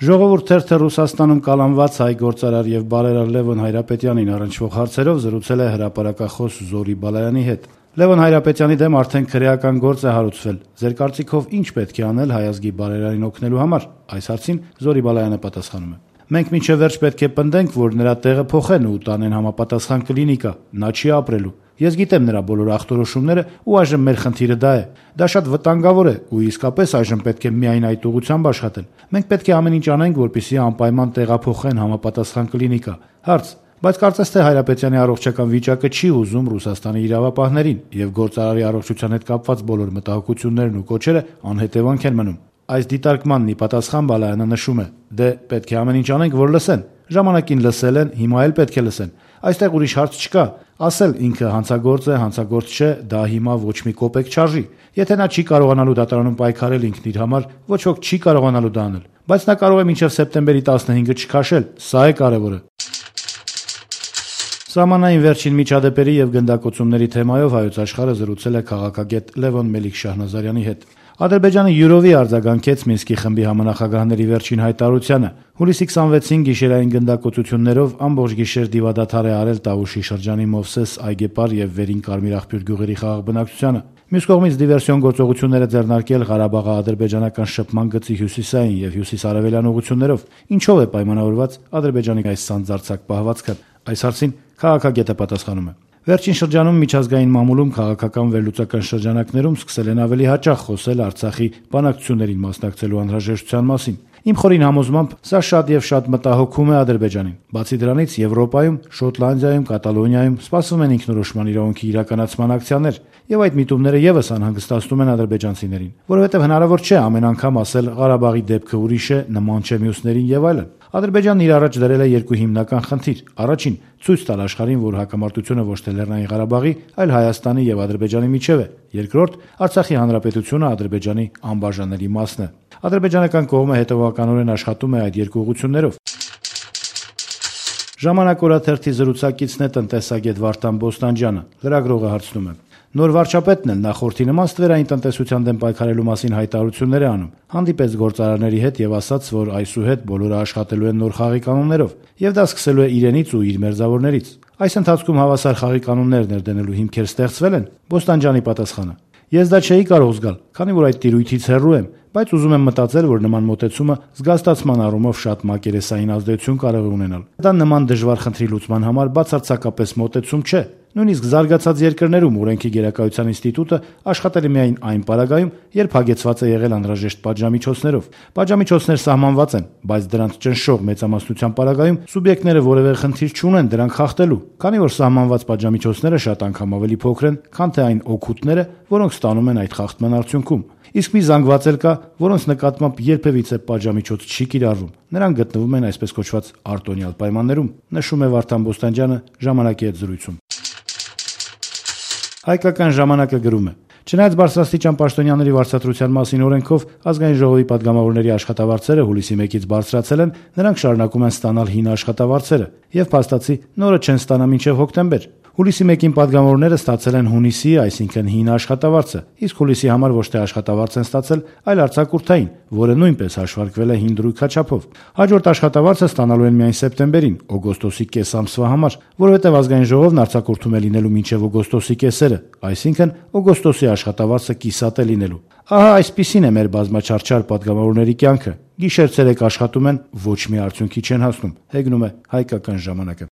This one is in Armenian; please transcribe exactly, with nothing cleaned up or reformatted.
Ժողովուրդ թերթը Ռուսաստանում կալանված հայ գործարար եւ բարերար Լևոն Հայրապետյանին առնչվող հարցերով զրուցել է հրապարակախոս Զորի Բալայանի հետ։ Լևոն Հայրապետյանի դեմ արդեն քրեական գործ է հարուցվել։ Ձեր կարծիքով ինչ պետք է անել հայ ազգի բարերարին օգնելու համար։ Այս հարցին Զորի Բալայանը պատասխանում է. Մենք մինչև վերջ պետք է պնդենք, որ նրա տեղը փոխեն ու տանեն համապատասխան կլինիկա։ Նա չի ապրելու։ Ես գիտեմ նրա բոլոր ախտորոշումները ու այժմ մեր խնդիրը դա է։ Դա շատ վտանգավոր է ու իսկապես այժմ պետք է միայն այդ ուղղությամբ աշխատել։ Մենք պետք է ամեն ինչ անենք, որպեսզի անպայման տեղափոխեն համապատասխան կլինիկա։ Հարց. Բայց կարծես թե Հայրապետյանի առողջական վիճակը չի ուզում Ռուսաստանի իրավապահներին եւ գործարարի առողջության հետ կապված բոլոր մտահոգություններն ու կոչերը անհետևանք են մնում։ Այս դիտարկմանն ի պատասխան Բալայանը նշում է. Դե պետք է ամեն ինչ անենք, որ լսեն։ Ժամանակին լսել են, հիմա էլ պետք է լսեն։ Այստեղ ուրիշ հարց չկա։ Ասել ինքը հանցագործ է, հանցագործ չէ, դա հիմա ոչ մի կոպեկ չարժի։ Եթե նա չի կարողանալու դատարանում պայքարել ինքն իր համար, ոչ ոք չի կարողանալու դա անել։ Բայց նա կարող է մինչև սեպտեմբերի տասնհինգը չքաշել։ Սա է կարևորը։ Սահմանային վերջին միջադեպերի եւ գնդակոծումների թեմայով Հայոց Աշխարհը զրուցել է քաղաքագետ Լևոն Մելիք-Շահնազարյանի հետ։ Ադրբեջանը յուրովի արձագանքեց Մինսկի խմբի համանախագահների վերջին հայտարարությանը։ Հուլիսի քսանվեցին գիշերային գնդակոծություններով ամբողջ գիշեր դիվադադար է արել Տավուշի շրջանի Մովսես, Այգեպար եւ Վերին Կարմիր աղբյուր գյուղերի խաղաղ բնակչությանը։ Մյուս կողմից դիվերսիոն գործողություններ է ձեռնարկել Ղարաբաղի ադրբեջանական շփման գծի հյուսիսային եւ հյուսիսարևելյան ուղղություններով։ Ինչով է պայմանավորված Ադրբեջանի այս սանձարձակ պահվածքը։ Այս հարցին քաղաքագետը պատասխանում է. Վերջին շրջանում միջազգային մամուլում քաղաքական վերլուծական շրջանակներում սկսել են ավելի հաճախ խոսել Արցախի բանակցություններին մասնակցելու անհրաժեշտության մասին։ Իմ խորին համոզմամբ սա շատ եւ շատ մտահոգում է Ադրբեջանին։ Բացի դրանից Եվրոպայում, Շոտլանդիայում, Կատալոնիայում սպասվում են ինքնորոշման իրավունքի իրականացման ակցիաներ, եւ այդ միտումները եւս անհանգստացնում են ադրբեջանցիներին, որովհետեւ հնարավոր չէ ամեն անգամ ասել Ղարաբաղի դեպքը ուրիշ է, նման չէ մյուսներին եւ այլն։ Ադրբեջանն իր առաջ դրել է երկու հիմնական խնդիր. առաջին՝ ցույց տալ աշխարհին, որ հակամարտությունը ոչ թե Լեռնային Ղարաբաղի, այլ Հայաստանի եւ Ադրբեջանի միջեւ է։ Երկրորդ՝ Արցախի հանրապետությունը Ադրբեջանի անբաժանելի մասն է։ Ադրբեջանական կողմը հետևողականորեն աշխատում է այդ երկու ուղղություններով։ Ժամանակ օրաթերթի զրուցակիցն է տնտեսագետ Վարդան Բոստանջյանը։ Լրագրողը հարցնում է. Նոր վարչապետն էլ նախորդի նման ստվերային տնտեսության դեմ պայքարելու մասին հայտարարություններ է անում։ Հանդիպեց գործարարների հետ եւ ասաց, որ այսուհետ բոլորը աշխատելու են նոր խաղի կանոններով, եւ դա սկսելու է իրենից ու իր մերձավորներից։ Այս ընթացքում հավասար խաղի կանոններ ներդնելու հիմքեր ստեղծվել են։ Բոստանջյանի պատասխանը. Ես դա չէի կարող զգալ, քանի որ այդ տիրույթից հեռու եմ, բայց ուզում եմ մտածել, որ նման մոտեցումը զգաստացման առումով շատ մակերեսային ազդեցություն կարող է ունենալ։ Դա նման դժվար խնդրի լուծման համար բացարձակապես մոտեցում չէ։ Նույնիսկ զարգացած երկրներում օրենքի գերակայության ինստիտուտը աշխատել է միայն այն պարագայում, երբ հագեցված է եղել անհրաժեշտ պատժամիջոցներով։ Պատժամիջոցներ սահմանված են, բայց դրանց ճնշող մեծամասնության պարագայում սուբյեկտները որևէ խնդիր չունեն դրանք խախտելու, քանի որ սահմանված պատժամիջոցները շատ անգամ ավելի փոքր են, քան թե այն օգուտները, որոնք ստանում են այդ խախտման արդյունքում։ Իսկ մի զանգված էլ կա, որոնց նկատմամբ երբևիցե պատժամիջոց չի կիրառվում։ Նրանք գտնվում են այսպես կոչված արտոնյալ պայմաններում, նշում է Վարդան Բոստանջյանը ժամանակի հետ զրույցում։ Հայկական ժամանակը գրում է. Չնայած բարձրաստիճան պաշտոնյաների վարձատրության մասին օրենքով ազգային ժողովի падգամավորների աշխատավարձերը հուլիսի մեկից բարձրացել են, նրանք շարունակում են ստանալ հին աշխատավարձերը եւ փաստացի նորը չեն ստանա մինչեւ հոկտեմբեր։ Հուլիսի մեկին падգամավորները ստացել են հունիսի, այսինքն հին աշխատավարձը, իսկ հուլիսի համար ոչ թե աշխատավարձ են ստացել, այլ արձակուրդային, որը նույնպես հաշվարկվել է հին դրույքաչափով։ Հաջորդ աշխատավարձը ստանալու են միայն սեպտեմբերին, օգոստոսի կես ամսվա համար, որովհետև ազգային ժողովն արձակուրդում է լինելու մինչև օգոստոսի կեսերը, այսինքն օգոստոսի աշխատավարձը կիսատ է լինելու։ Ահա այսպիսին է մեր բազմաչարչար падգամավորների կյանքը։ Գիշեր-ցերեկ աշխատում են, ոչ մի արդյունքի չեն հասնում, հեգնում է Հայկական ժամանակը։